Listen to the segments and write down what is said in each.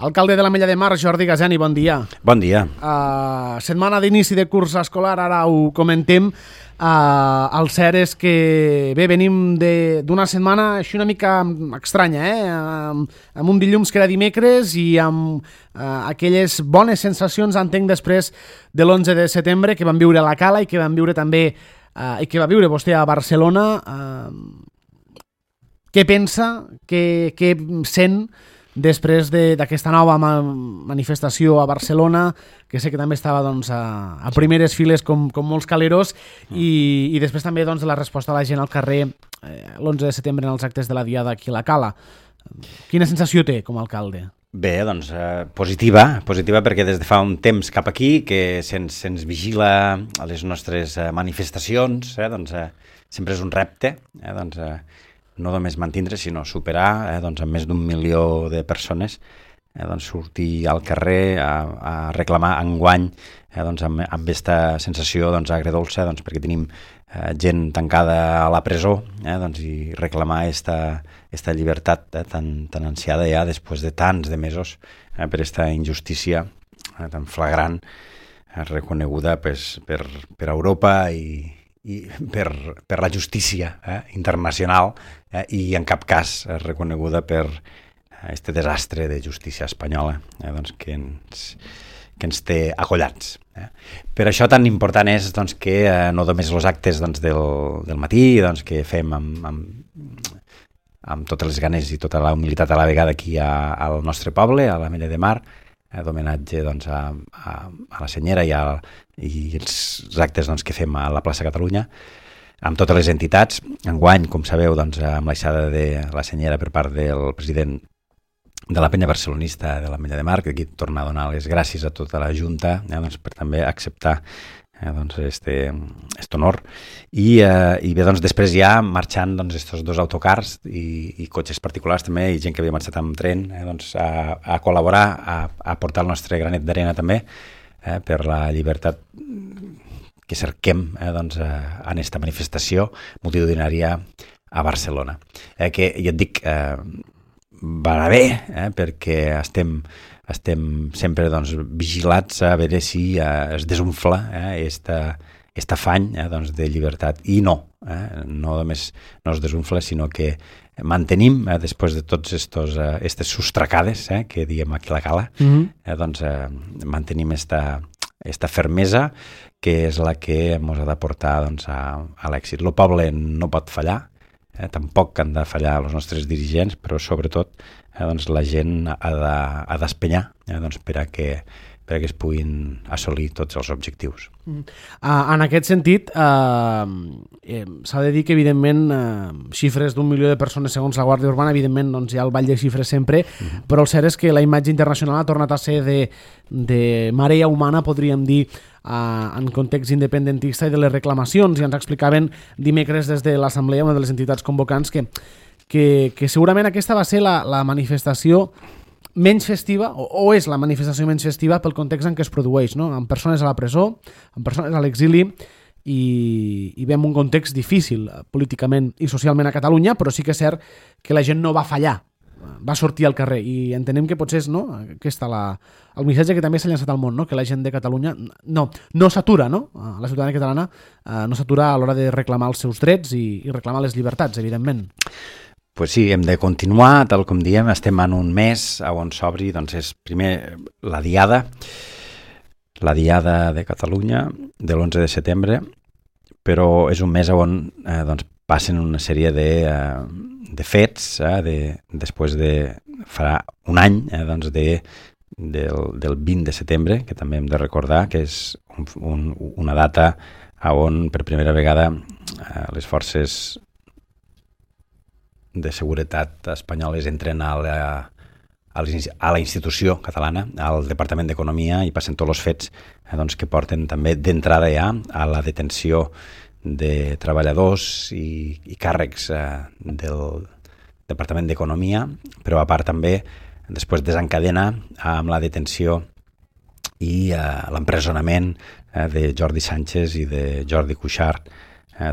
Alcalde de l'Ametlla de Mar, Jordi Gazani, bon dia. Bon dia. Setmana d'inici de curs escolar, ara ho comentem. El cert és que venim d'una setmana així una mica estranya, amb un dilluns que era dimecres i amb aquelles bones sensacions, entenc, després de l'11 de setembre que vam viure a la Cala i que vam viure també i que va viure vostè a Barcelona. Què pensa, què sent després d'aquesta nova manifestació a Barcelona, que sé que també estava a primeres files com molts caleros, i després també de la resposta de la gent al carrer l'11 de setembre en els actes de la Diada aquí a la Cala. Quina sensació té com a alcalde? Bé, positiva perquè des de fa un temps cap aquí que se'ns vigila a les nostres manifestacions, sempre és un repte, no només mantindre, sinó superar, amb més d'1 milió de persones, sortir al carrer a reclamar enguany amb aquesta sensació agredolça, perquè tenim gent tancada a la presó i reclamar esta llibertat tan ansiada ja després de tants de mesos per aquesta injustícia tan flagrant reconeguda per Europa i per la justícia internacional i en cap cas reconeguda per este desastre de justícia espanyola que ens té acollats. Per això tan important és que no només els actes del matí que fem amb totes les ganes i tota la humilitat a la vegada aquí al nostre poble, a l'Ametlla de Mar, d'homenatge a la Senyera i els actes que fem a la plaça Catalunya, amb totes les entitats. Enguany, com sabeu, amb l'aixada de la Senyera per part del president de la penya barcelonista de l'Ametlla de Mar, que aquí torna a donar les gràcies a tota la Junta per també acceptar aquest honor. I bé, després ja marxant estos dos autocars i cotxes particulars també, i gent que havia marxat amb tren, a col·laborar, a portar el nostre granet d'arena també per la llibertat que cerquem en aquesta manifestació multitudinària a Barcelona. Que ja et dic, va anar bé, perquè estem sempre vigilats a veure si es desunfla aquest afany de llibertat. I no només no es desunfla, sinó que mantenim, després de tots aquestes sostracades que diem aquí a la Cala, mantenim esta fermesa que és la que ens ha de portar a l'èxit. El poble no pot fallar, tampoc han de fallar els nostres dirigents, però sobretot la gent ha d'espenyar per a que es puguin assolir tots els objectius. En aquest sentit, s'ha de dir que, evidentment, xifres d'1 milió de persones segons la Guàrdia Urbana, evidentment hi ha el ball de xifres sempre, però el cert és que la imatge internacional ha tornat a ser de marea humana, podríem dir, en context independentista i de les reclamacions, i ens explicaven dimecres des de l'Assemblea, una de les entitats convocants, que segurament aquesta va ser la manifestació menys festiva, o és la manifestació menys festiva pel context en què es produeix, no? Amb persones a la presó, amb persones a l'exili, i veiem un context difícil políticament i socialment a Catalunya, però sí que és cert que la gent no va fallar, va sortir al carrer, i entenem que potser és aquest el missatge que també s'ha llançat al món, que la gent de Catalunya no s'atura, la ciutadania catalana no s'atura a l'hora de reclamar els seus drets i reclamar les llibertats, evidentment. Pues sí, hem de continuar, tal com diem, estem en un mes on s'obri, és primer la Diada de Catalunya de l'11 de setembre, però és un mes on passen una sèrie de fets, després de farà un any del 20 de setembre, que també hem de recordar que és una data on per primera vegada les forces de seguretat espanyoles entren a la institució catalana, al Departament d'Economia, i passen tots els fets que porten també d'entrada ja a la detenció de treballadors i càrrecs del Departament d'Economia, però a part també després desencadena amb la detenció i l'empresonament de Jordi Sánchez i de Jordi Cuixart,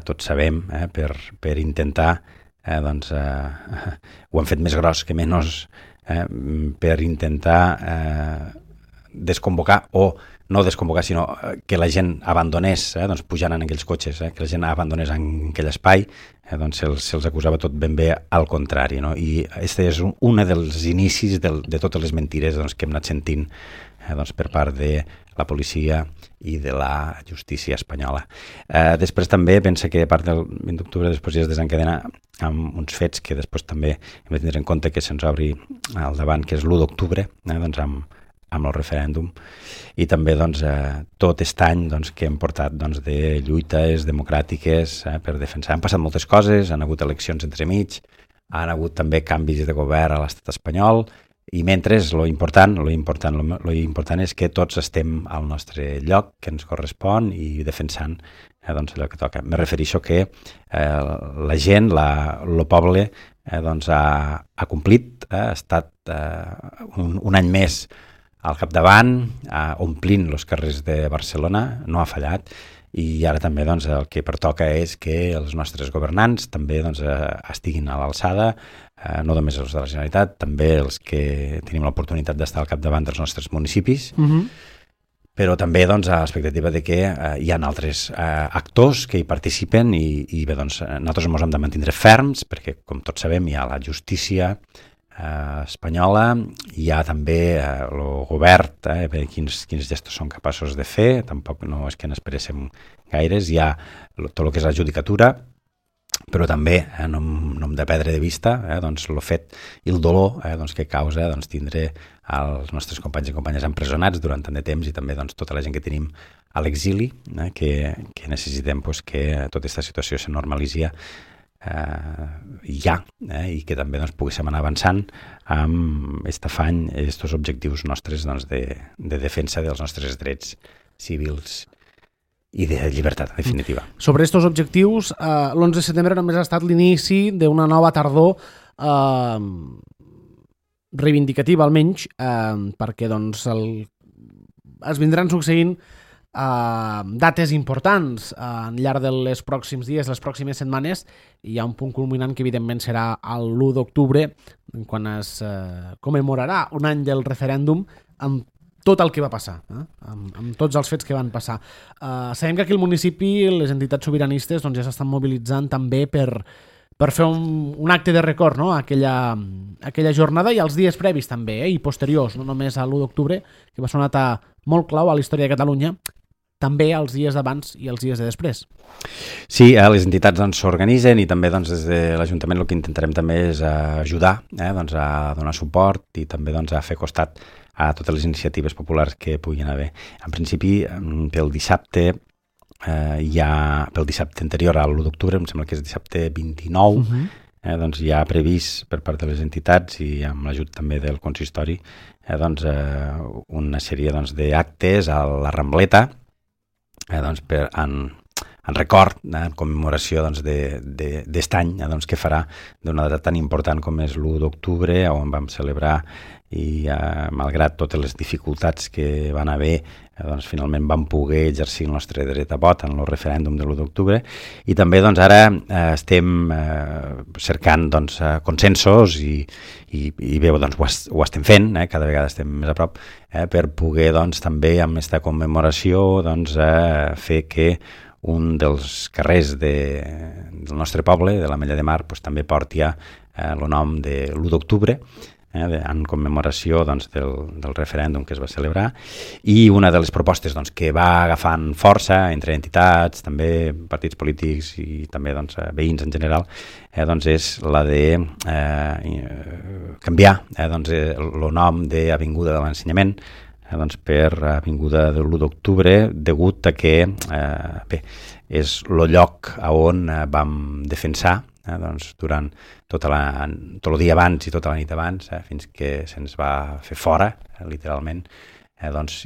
tots sabem, per intentar ho han fet més gros que menys per intentar desconvocar o no desconvocar, sinó que la gent abandonés, doncs pujant en aquells cotxes, que la gent abandonés en aquell espai, doncs se'ls acusava tot ben bé al contrari, no? I aquest és un dels inicis de totes les mentires doncs, que hem anat sentint doncs, per part de la policia i de la justícia espanyola. Després també pensa que a part del 20 d'octubre després ja es desencadena amb uns fets que després també hem de tenir en compte que se'ns obri al davant, que és l'1 d'octubre, doncs amb el referèndum, i també doncs, tot aquest any doncs, que hem portat doncs, de lluites democràtiques per defensar. Han passat moltes coses, han hagut eleccions entremig, han hagut també canvis de govern a l'estat espanyol, i mentre lo important és que tots estem al nostre lloc, que ens correspon, i defensant doncs, allò que toca. Me refereixo que la gent, el poble, doncs, ha complit, ha estat un any més al capdavant, omplint els carrers de Barcelona, no ha fallat, i ara també doncs, el que pertoca és que els nostres governants també doncs, estiguin a l'alçada, no només els de la Generalitat, també els que tenim l'oportunitat d'estar al capdavant dels nostres municipis, però també doncs, a l'expectativa de que hi ha altres actors que hi participen i bé, doncs, nosaltres ens hem de mantenir ferms perquè, com tots sabem, hi ha la justícia espanyola, hi ha també el govern, quins gestos són capaços de fer, tampoc no és que n'esperéssim gaires, hi ha tot el que és la judicatura, però també no hem de perdre de vista doncs, el fet i el dolor doncs, que causa doncs, tindre els nostres companys i companyes empresonats durant tant de temps i també doncs, tota la gent que tenim a l'exili, que necessitem doncs, que tota aquesta situació se normalitzi ja, i que també doncs, poguéssim anar avançant amb aquest afany, aquests objectius nostres doncs, de defensa dels nostres drets civils i de llibertat, en definitiva. Sobre aquests objectius, l'11 de setembre només ha estat l'inici d'una nova tardor reivindicativa, almenys, perquè doncs, es vindran succeint dates importants al llarg dels pròxims dies, les pròximes setmanes. Hi ha un punt culminant que evidentment serà l'1 d'octubre, quan es commemorarà un any del referèndum amb tot el que va passar, amb tots els fets que van passar. Sabem que aquí al municipi les entitats sobiranistes doncs, ja s'estan mobilitzant també per fer un acte de record, no? aquella jornada i els dies previs també, i posteriors, no només a l'1 d'octubre, que va ser una data molt clau a la història de Catalunya, també els dies d'abans i els dies de després. Sí, les entitats doncs, s'organitzen i també doncs, des de l'Ajuntament el que intentarem també és ajudar, doncs, a donar suport i també doncs, a fer costat a totes les iniciatives populars que puguin haver. En principi, pel dissabte pel dissabte anterior a l'1 d'octubre, em sembla que és dissabte 29, doncs hi ha previst per part de les entitats i amb l'ajut també del consistori doncs, una sèrie doncs, d'actes a la Rambleta doncs, en record, en commemoració doncs, d'est any doncs, que farà d'una data tan important com és l'1 d'octubre, on vam celebrar i malgrat totes les dificultats que van haver, doncs, finalment vam poder exercir el nostre dret a vot en el referèndum de l'1 d'octubre i també doncs, ara estem cercant doncs, consensos i bé, doncs, ho estem fent, cada vegada estem més a prop, per poder doncs, també amb aquesta commemoració doncs, fer que un dels carrers del nostre poble, de l'Ametlla de Mar, doncs, també porti el nom de l'1 d'octubre, en commemoració doncs, del referèndum que es va celebrar, i una de les propostes doncs, que va agafant força entre entitats, també partits polítics i també doncs, veïns en general, doncs, és la de canviar doncs, el nom d'Avinguda de l'Ensenyament doncs, per Avinguda de l'1 d'octubre, degut a que bé, és el lloc on vam defensar doncs, durant tot el dia abans i tota la nit abans, fins que se'ns va fer fora, literalment, doncs,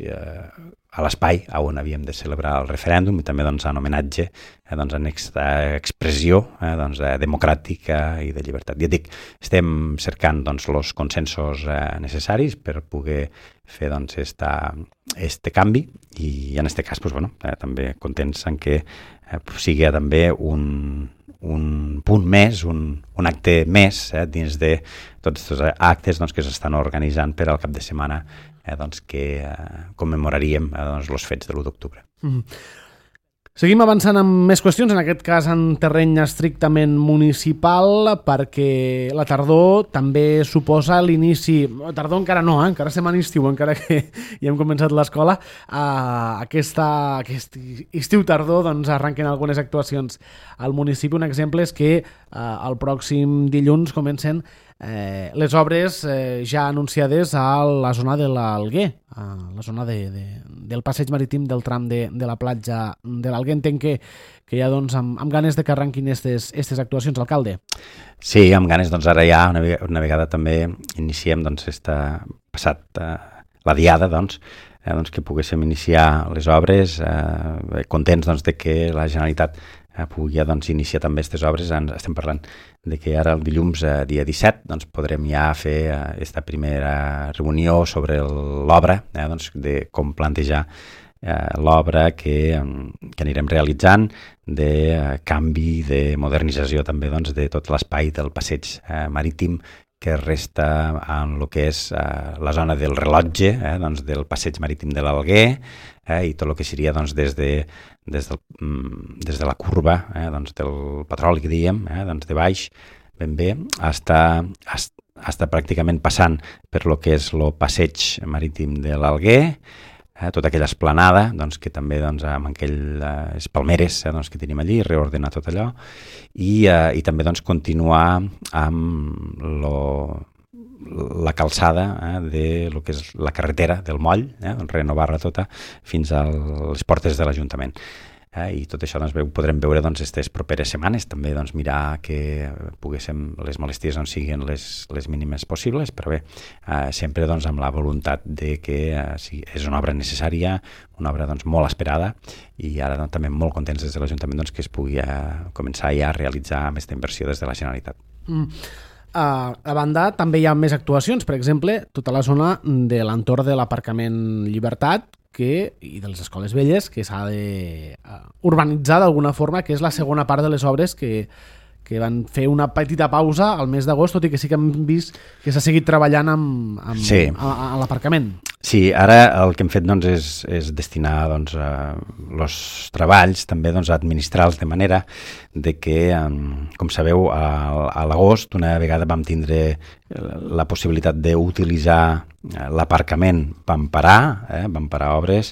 a l'espai on havíem de celebrar el referèndum i també doncs, en homenatge doncs, en aquesta expressió doncs, democràtica i de llibertat. Ja dic, estem cercant doncs, els consensos necessaris per poder fer doncs, este canvi i en aquest cas doncs, bueno, també contents en què sigui també un punt més, un acte més dins de tots els actes doncs, que s'estan organitzant per al cap de setmana doncs, que commemoraríem doncs, els fets de l'1 d'octubre. Seguim avançant amb més qüestions, en aquest cas en terreny estrictament municipal, perquè la tardor també suposa l'inici, tardor encara no, encara estem en estiu, encara que ja hem començat l'escola, aquest estiu-tardor doncs, arrenquen algunes actuacions al municipi. Un exemple és que el pròxim dilluns comencen les obres ja anunciades a la zona de l'Alguer, a la zona del passeig marítim del tram de la platja de l'Alguer. Entenc que ja doncs, amb ganes de que arrenquin aquestes actuacions, alcalde. Sí, amb ganes. Doncs ara ja una vegada també iniciem doncs, passat la diada, doncs que poguéssim iniciar les obres, contents doncs, de que la Generalitat pugui doncs, iniciar també aquestes obres. Estem parlant de que ara el dilluns, dia 17, doncs, podrem ja fer aquesta primera reunió sobre l'obra, doncs, de com plantejar l'obra que anirem realitzant, de canvi, de modernització també doncs, de tot l'espai del passeig marítim que resta en el que és la zona del rellotge, doncs, del passeig marítim de l'Alguer, i tot el que seria doncs, des de la curva doncs, del petroli, que diem, doncs, de baix, ben bé, està pràcticament passant per lo que és el passeig marítim de l'Alguer, tota aquella esplanada doncs, que també doncs, amb aquelles palmeres doncs, que tenim allí, reordenar tot allò i també doncs, continuar amb la calçada de lo que és la carretera del moll, renovar-la tota fins a les portes de l'Ajuntament. I tot això doncs, ho podrem veure aquestes properes setmanes, també doncs, mirar que poguéssim les molesties doncs, siguin les mínimes possibles, però bé, sempre doncs, amb la voluntat de que és una obra necessària, una obra doncs, molt esperada i ara doncs, també molt contents des de l'Ajuntament doncs, que es pugui començar ja a realitzar aquesta inversió des de la Generalitat. A banda, també hi ha més actuacions, per exemple, tota la zona de l'entorn de l'aparcament Llibertat i de les escoles velles, que s'ha de urbanitzar d'alguna forma, que és la segona part de les obres que van fer una petita pausa al mes d'agost, tot i que sí que hem vist que s'ha seguit treballant a l'aparcament. Sí, ara el que hem fet doncs, és destinar doncs, els treballs també doncs, a administrar-los de manera de que, com sabeu, a l'agost una vegada vam tindre la possibilitat d'utilitzar l'aparcament, vam parar obres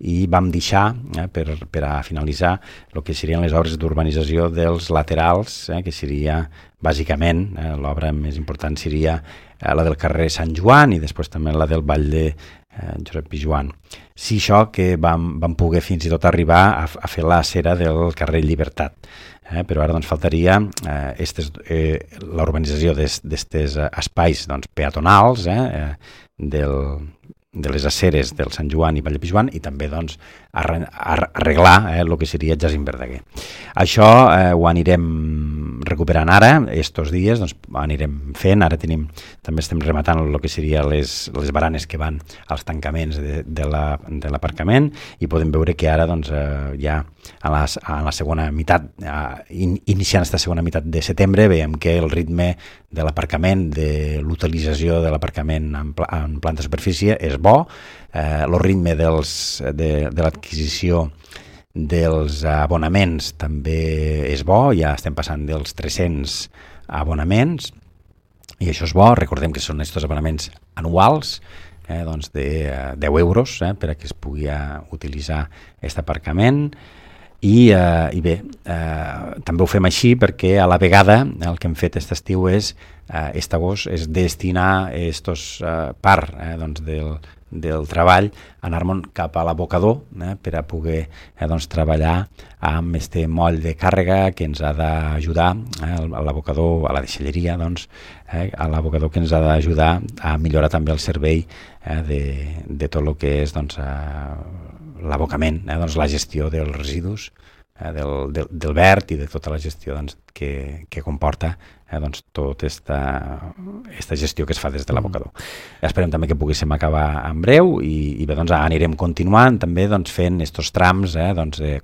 i vam deixar per a finalitzar el que serien les obres d'urbanització dels laterals, que seria bàsicament l'obra més important seria la del carrer Sant Joan i després també la del Vall de Josep Pijuan. Sí, això que vam poder fins i tot arribar a fer la cera del carrer Llibertat, però ara doncs, faltaria la urbanització d'aquests espais doncs, peatonals de les aceres del Sant Joan i Vall de Pijuan i també doncs, arreglar el que seria Jacint Verdaguer. Això ho anirem recuperant ara, estos dies, doncs, anirem fent, ara també estem rematant el que serien les baranes que van als tancaments de l'aparcament i podem veure que ara doncs, ja a la segona meitat, iniciant aquesta segona meitat de setembre, veiem que el ritme de l'aparcament, de l'utilització de l'aparcament en planta superfície és bo, el ritme de l'adquisició dels abonaments també és bo, ja estem passant dels 300 abonaments i això és bo. Recordem que són aquests abonaments anuals doncs de 10 euros per a que es pugui utilitzar aquest aparcament I bé, també ho fem així perquè a la vegada el que hem fet aquest estiu és, aquest agost, és destinar part doncs del treball, anar-me'n cap a l'abocador per a poder treballar amb este moll de càrrega que ens ha d'ajudar, a l'abocador, a la deixalleria, a l'abocador que ens ha d'ajudar a millorar també el servei de tot el que és l'abocament, la gestió dels residus, del verd i de tota la gestió que comporta tota aquesta gestió que es fa des de l'abocador. Esperem també que poguéssim acabar en breu i bé, anirem continuant també fent aquests trams,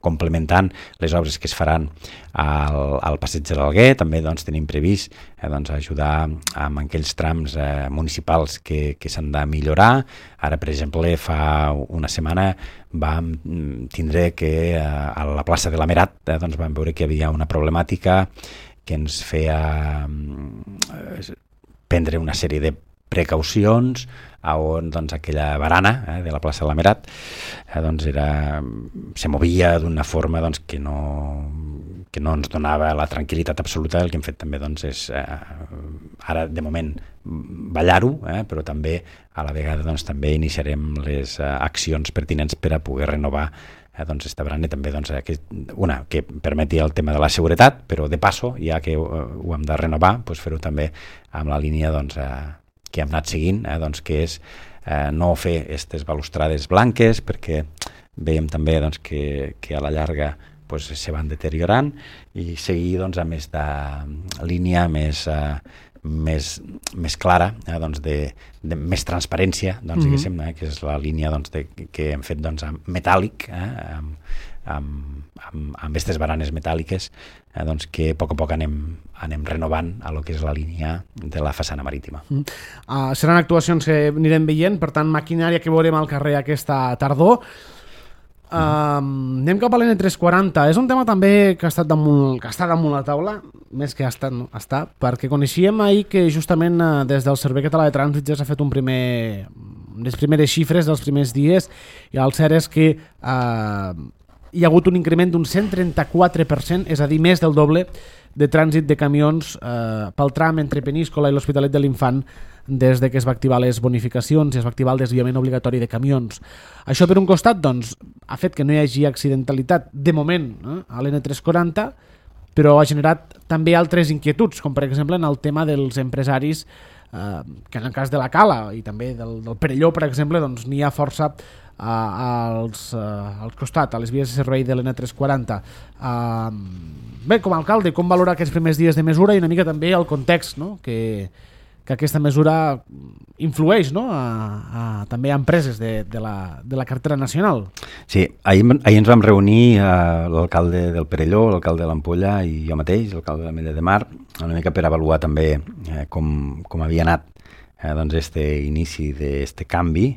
complementant les obres que es faran al passeig de l'Alguer. També tenim previst ajudar amb aquells trams municipals que s'han de millorar. Ara, per exemple, fa una setmana vam tindre que a la plaça de l'Amerat vam veure que hi havia una problemàtica que ens feia prendre una sèrie de precaucions on aquella barana de la plaça de l'Amerat se movia d'una forma que no ens donava la tranquil·litat absoluta. El que hem fet també és ara de moment ballar-ho, però també a la vegada també iniciarem les accions pertinents per a poder renovar esta barana i també una que permeti el tema de la seguretat, però de passo, ja que ho hem de renovar, fer-ho també amb la línia que hem anat seguint, que és no fer aquestes balustrades blanques, perquè veiem també que a la llarga se van deteriorant, i seguir amb aquesta línia més clara, de més transparència, diguéssim, que és la línia que hem fet metàl·lic, amb aquestes baranes metàl·liques, que a poc anem renovant a lo que és la línia de la façana marítima. Seran actuacions que anirem veient, per tant, maquinària que veurem al carrer aquesta tardor. Anem cap a l'N340. És un tema també que està damunt la taula, més que està, perquè coneixíem ahir que justament des del Servei Català de Trànsit ja s'ha fet les primeres xifres dels primers dies, i el cert és que hi ha hagut un increment d'un 134%, és a dir, més del doble de trànsit de camions pel tram entre Peníscola i l'Hospitalet de l'Infant des de que es va activar les bonificacions i es va activar el desviament obligatori de camions. Això, per un costat, ha fet que no hi hagi accidentalitat de moment a l'N340, però ha generat també altres inquietuds, com per exemple en el tema dels empresaris, que en el cas de la Cala i també del Perelló, per exemple, n'hi ha força al costat, a les vies de servei de l'N340. Bé, com a alcalde, com valora aquests primers dies de mesura i una mica també el context, que aquesta mesura influeix també a empreses de la cartera nacional? Sí, ahir ens vam reunir l'alcalde del Perelló, l'alcalde de l'Ampolla i jo mateix, l'alcalde de l'Ametlla de Mar, una mica per avaluar també com havia anat este inici d'este canvi.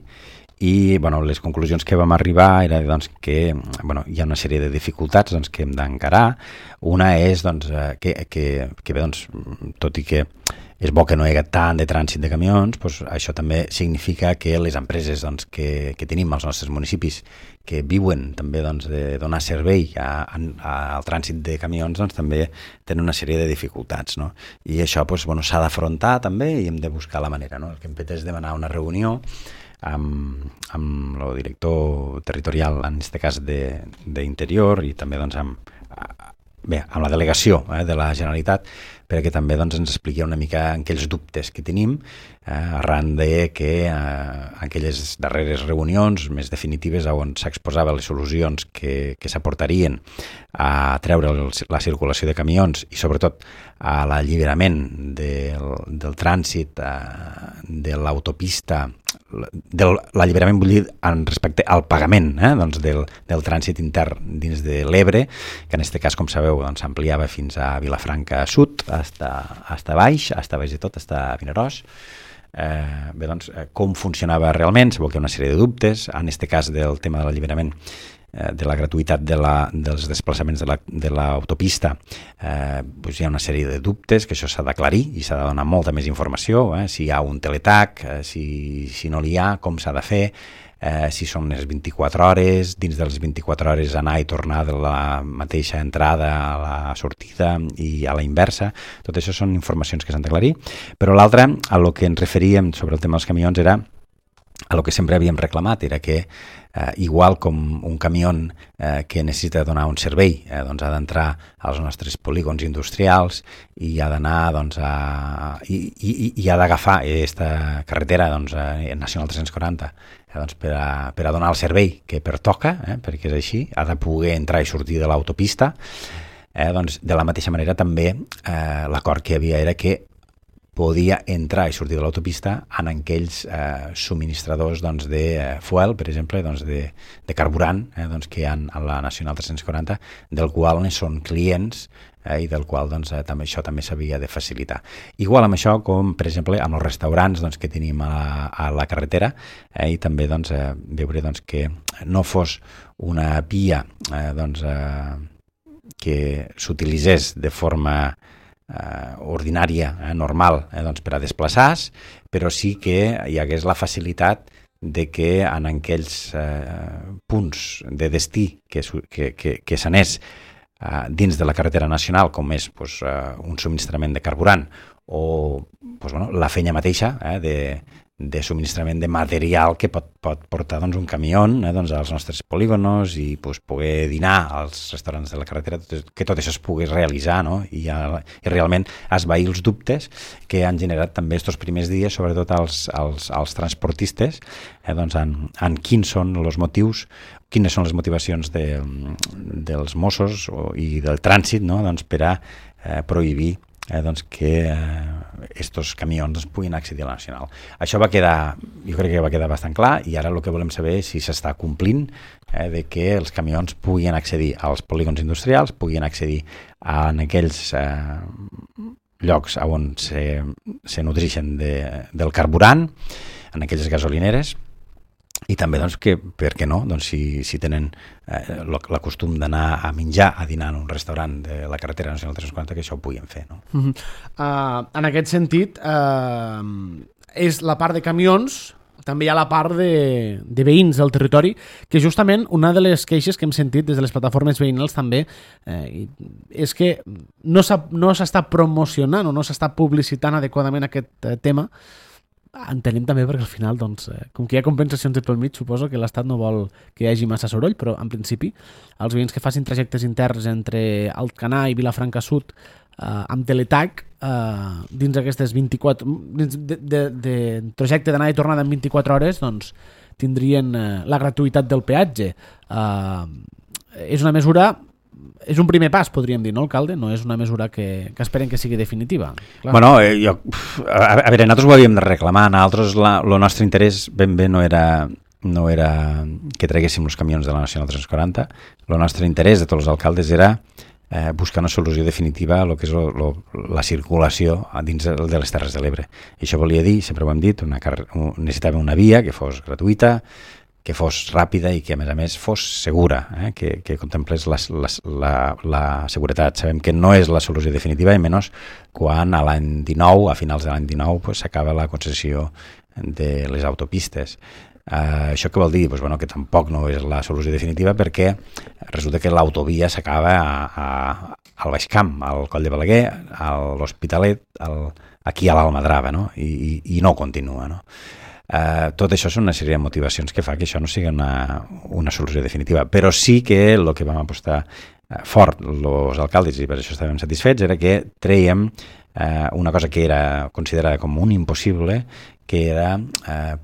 I les conclusions que vam arribar era que hi ha una sèrie de dificultats que hem d'encarar. Una és que tot i que és bo que no hi hagi tant de trànsit de camions, això també significa que les empreses que tenim als nostres municipis, que viuen també de donar servei al trànsit de camions, també tenen una sèrie de dificultats, no? I això s'ha d'afrontar també i hem de buscar la manera, no? El que hem fet és demanar una reunió amb el director territorial, en aquest cas d'Interior, i també amb la delegació de la Generalitat, perquè també ens expliqui una mica aquells dubtes que tenim arran de que aquelles darreres reunions més definitives on s'exposaven les solucions que s'aportarien a treure la circulació de camions i sobretot a l'alliberament del trànsit de l'autopista, l'alliberament vull dir respecte al pagament del trànsit intern dins de l'Ebre, que en aquest cas, com sabeu, s'ampliava fins a Vilafranca Sud, hasta baix de tot, hasta Vinaròs. Com funcionava realment, sabeu que hi ha una sèrie de dubtes, en aquest cas del tema de l'alliberament de la gratuïtat dels desplaçaments de l'autopista, hi ha una sèrie de dubtes que això s'ha d'aclarir i s'ha de donar molta més informació, si hi ha un teletac, si no n'hi ha, com s'ha de fer, si són les 24 hores, dins de les 24 hores anar i tornar de la mateixa entrada a la sortida i a la inversa. Tot això són informacions que s'han d'aclarir. Però l'altre, a lo que ens referíem sobre el tema dels camions, era a lo que sempre havíem reclamat, era que igual com un camió que necessita donar un servei, doncs ha d'entrar als nostres polígons industrials i ha d'anar i ha d'agafar aquesta carretera nacional 340 doncs, per a donar el servei que pertoca, perquè és així, ha de poder entrar i sortir de l'autopista. Doncs, de la mateixa manera també l'acord que hi havia era que podia entrar i sortir de l'autopista en aquells subministradors de fuel, per exemple, de carburant que hi ha a la Nacional 340, del qual són clients i del qual això també s'havia de facilitar. Igual amb això com, per exemple, amb els restaurants que tenim a la carretera i també veure que no fos una via que s'utilitzés de forma ordinària, normal, per a desplaçar-se, però sí que hi hagués la facilitat de que en aquells punts de destí que s'anés dins de la carretera nacional, com és un subministrament de carburant o la feina mateixa de subministrament de material que pot portar un camió als nostres polígonos i poder dinar als restaurants de la carretera, que tot això es pogués realitzar, i realment esvair els dubtes que han generat també aquests primers dies, sobretot als transportistes, en quins són els motius, quines són les motivacions dels Mossos i del trànsit per a prohibir que estos camions puguin accedir a la Nacional. Això jo crec que va quedar bastant clar i ara el que volem saber és si s'està complint de que els camions puguin accedir als polígons industrials, puguin accedir en aquells llocs on se nodreixen del carburant, en aquelles gasolineres, i també que, per què no, si tenen l'acostum d'anar a menjar, a dinar en un restaurant de la carretera nacional 340, que això ho puguin fer. No? En aquest sentit, és la part de camions, també hi ha la part de veïns del territori, que justament una de les queixes que hem sentit des de les plataformes veïnals també és que no s'està promocionant o no s'està publicitant adequadament aquest tema. Entenem també perquè al final, com que hi ha compensacions de pel mig, suposo que l'Estat no vol que hi hagi massa soroll, però en principi els veïns que facin trajectes interns entre Alcanar i Vilafranca Sud amb Teletac dins aquestes 24 de trajecte d'anada i tornada en 24 hores tindrien la gratuïtat del peatge. És una mesura, és un primer pas, podríem dir, no, alcalde? No és una mesura que esperen que sigui definitiva. Clar. Bueno, a veure, nosaltres ho havíem de reclamar. Nosaltres el nostre interès ben bé no era que traguéssim els camions de la Nacional 340. El nostre interès de tots els alcaldes era buscar una solució definitiva a lo que és la circulació dins de les Terres de l'Ebre. I això volia dir, sempre ho hem dit, necessitàvem una via que fos gratuïta, que fos ràpida i que, a més, fos segura, que contemplés la seguretat. Sabem que no és la solució definitiva, i menys quan a l'any 19, a finals de l'any 19, s'acaba la concessió de les autopistes. Això què vol dir? Que tampoc no és la solució definitiva, perquè resulta que l'autovia s'acaba al Baix Camp, al Coll de Balaguer, a l'Hospitalet, aquí a l'Almadrava, i no continua, no? Tot això són una sèrie de motivacions que fa que això no sigui una solució definitiva, però sí que el que vam apostar fort els alcaldes, i per això estàvem satisfets, era que trèiem una cosa que era considerada com un impossible, que era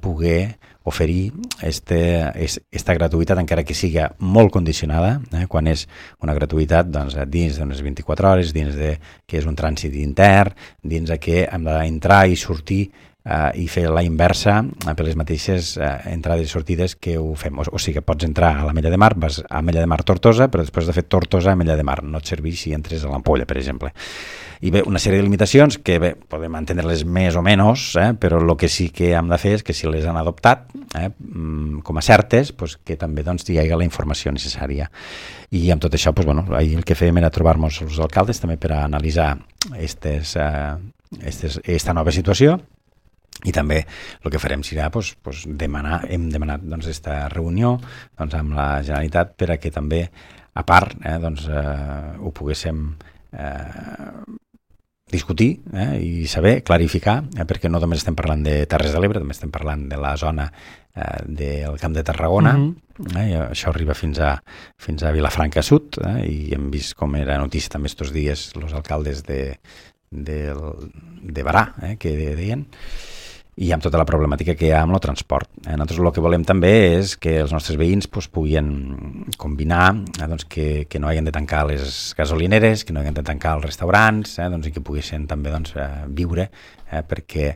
poder oferir esta gratuïtat, encara que siga molt condicionada, quan és una gratuïtat dins d'unes 24 hores, dins de que és un trànsit intern, dins de que hem d'entrar i sortir i fer la inversa per les mateixes entrades i sortides que ho fem. O sigui que pots entrar a l'Ametlla de Mar, vas a Ametlla de Mar Tortosa, però després de fer Tortosa a Ametlla de Mar. No et serveix si entres a l'Ampolla, per exemple. I bé, una sèrie de limitacions que bé, podem entendre-les més o menys, però el que sí que hem de fer és que si les han adoptat com a certes, que també hi hagi la informació necessària. I amb tot això, ahir el que fèiem era trobar-nos els alcaldes també per a analitzar esta nova situació I també el que farem serà hem demanat aquesta reunió amb la Generalitat per a que també, a part, ho poguéssim discutir i saber, clarificar, perquè no només estem parlant de Terres de l'Ebre, també estem parlant de la zona del Camp de Tarragona, i això arriba fins a Vilafranca Sud, i hem vist com era notícia també estos dies els alcaldes de Barà, que deien, i amb tota la problemàtica que hi ha amb el transport. Nosaltres el que volem també és que els nostres veïns puguin combinar que no hagin de tancar les gasolineres, que no hagin de tancar els restaurants, i que poguessin també viure, perquè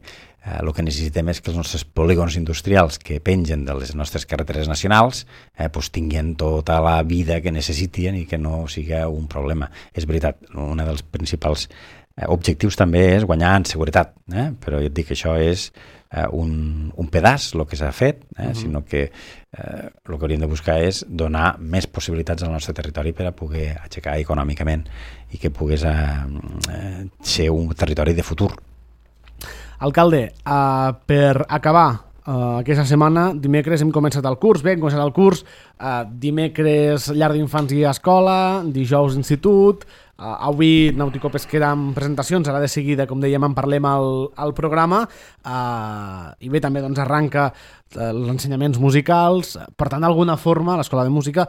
el que necessitem és que els nostres polígons industrials que pengen de les nostres carreteres nacionals tinguin tota la vida que necessiten i que no siga un problema. És veritat, un dels principals objectius també és guanyar en seguretat, però jo et dic que això és un pedaç el que s'ha fet, sinó que el que hauríem de buscar és donar més possibilitats al nostre territori per a poder aixecar econòmicament i que pogués ser un territori de futur. Alcalde, per acabar aquesta setmana, dimecres hem començat el curs, dimecres llar d'infants i escola, dijous institut, avui Nàutico Pesquera amb presentacions, ara de seguida, com dèiem, en parlem al programa, i bé, també arranca els ensenyaments musicals, per tant, d'alguna forma, l'escola de música,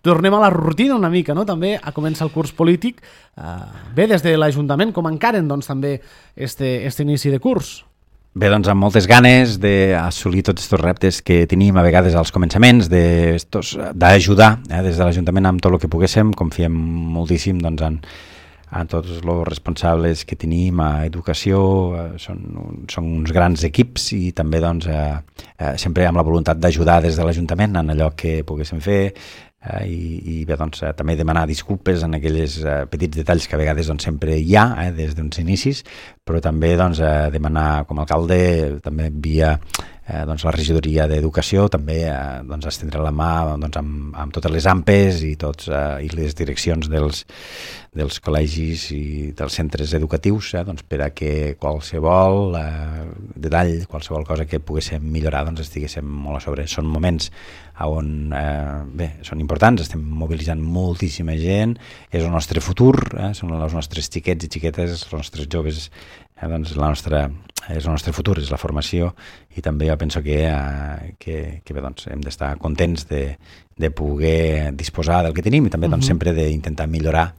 tornem a la rutina una mica, no? També a començar el curs polític, bé, des de l'Ajuntament, com encaren també este inici de curs? Bé, amb moltes ganes d'assolir tots aquests reptes que tenim a vegades als començaments, d'ajudar des de l'Ajuntament amb tot el que poguéssim. Confiem moltíssim en tots els responsables que tenim a educació, són uns grans equips i també sempre amb la voluntat d'ajudar des de l'Ajuntament en allò que poguéssim fer, i bé, també demanar disculpes en aquells petits detalls que a vegades sempre hi ha des d'uns inicis, però també demanar com a alcalde, també via la regidoria d'Educació, també estendre la mà amb totes les AMPEs i les direccions dels col·legis i dels centres educatius, per a que qualsevol detall, qualsevol cosa que poguéssim millorar, estiguéssim molt a sobre. Són moments on, bé, són importants, estem mobilitzant moltíssima gent, és el nostre futur, són els nostres xiquets i xiquetes, els nostres joves, és el nostre futur, és la formació, i també jo penso que bé, hem d'estar contents de poder disposar del que tenim i també sempre d'intentar millorar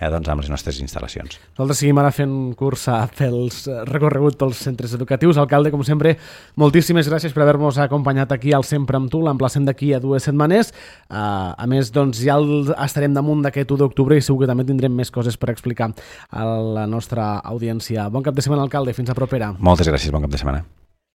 amb les nostres instal·lacions. Nosaltres seguim ara fent curs pels recorregut pels centres educatius. Alcalde, com sempre, moltíssimes gràcies per haver-nos acompanyat aquí al Sempre amb tu, l'emplacem d'aquí a 2 setmanes. A més, ja estarem damunt d'aquest 1 d'octubre i segur que també tindrem més coses per explicar a la nostra audiència. Bon cap de setmana, alcalde. Fins a propera. Moltes gràcies, bon cap de setmana.